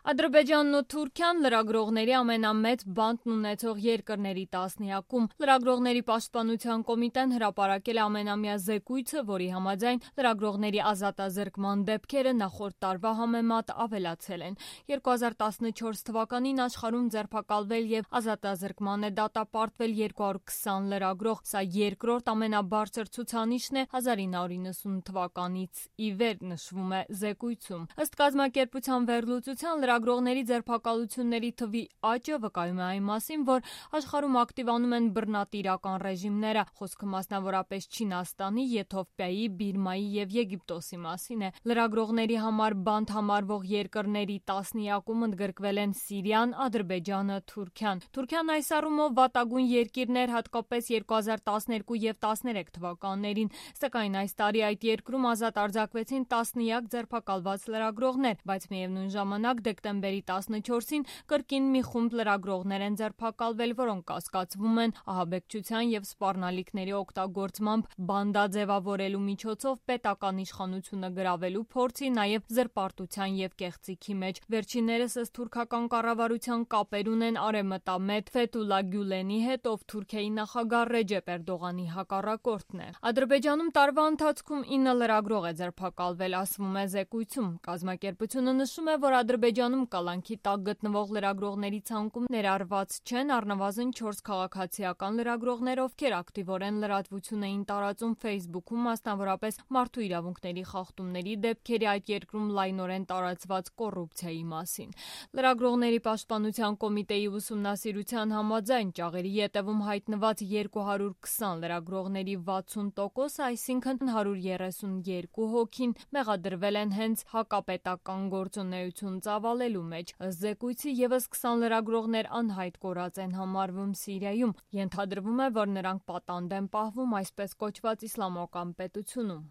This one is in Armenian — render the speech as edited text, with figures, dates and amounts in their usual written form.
Ադրբեջանն ու Թուրքիան լրագրողների ամենամեծ բանտն ունեցող երկրների տասնյակում։ Լրագրողների պաշտպանության կոմիտեն հրապարակել է ամենամյա զեկույցը, որի համաձայն լրագրողների ազատազրկման դեպքերը նախորդ տարվա համեմատ ավելացել են։ 2014 թվականին աշխարհում ձերբակալվել եւ ազատազրկման է դատապարտվել 220 լրագրող։ Սա երկրորդ ամենաբարձր ցուցանիշն է 1990 թվականից ի վեր, նշվում է զեկույցում։ Ըստ կազմակերպության վերլուծության լրագրողների ձերբակալությունների թվի աճը վկայում է այն մասին, որ աշխարհում ակտիվանում են բռնատիրական ռեժիմները։ Խոսքը մասնավորապես Չինաստանի, Եթովպիայի, Բիրմայի եւ Եգիպտոսի մասին է։ Լրագրողների համար բանտ համարվող երկրների տասնյակում ընդգրկվել են Սիրիան, Ադրբեջանը, Թուրքիան։ Թուրքիան այս առումով վատագույն երկիրն էր հատկապես 2012 եւ 13 թվականներին, սակայն այս տարի այդ երկրում ազատ արձակվեցին տասնյակ ձերբակալված լրագրողներ, բայց միևնույն ժամանակ դեկտեմբերի 14-ին կրկին մի խումբ լրագրողներ են ձերբակալվել, որոնք կասկածվում են ահաբեկչության եւ սպառնալիքների օգտագործմամբ բանդաձևավորելու միջոցով պետական իշխանությունը գրավելու փորձի, նաեւ զրպարտության եւ կեղծիքի մեջ։ Վերջիններս ըստ թուրքական կառավարության կապեր ունեն արևմտամետ Ֆեթուլա Գյուլենի հետ, ով Թուրքիայի նախագահ Ռեջեփ Էրդողանի հակառակորդն է։ Ադրբեջանում տարվա ընթացքում 9 լրագրող է ձերբակալվել, ասվում է զեկույցում։ Կազմակերպությունը նշում է, որ Ադրբեջանում կալանքի տակ գտնվող լրագրողների ցանկում ներառված չեն առնվազն 4 քաղաքացիական լրագրողներ, ովքեր ակտիվորեն լրատվություն էին տարածում Facebook-ում, մասնավորապես մարդու իրավունքների խախտումների դեպքերի այդ երկրում լայնորեն տարածված կոռուպցիայի մասին։ Լրագրողների պաշտպանության կոմիտեի ուսումնասիրության համաձայն ճաղերի ետևում հայտնված 220 լրագրողների 60%, այսինքն 132 հոգին, մեղադրվել են հենց հակապետական գործունեություն ծավալելու մեջ։ Ըստ զեկույցի եւս 20 լրագրողներ անհայտ կորած են համարվում Սիրիայում։ Ենթադրվում է, որ նրանք պատանդ են պահվում այսպես կոչված իսլամական պետությունում։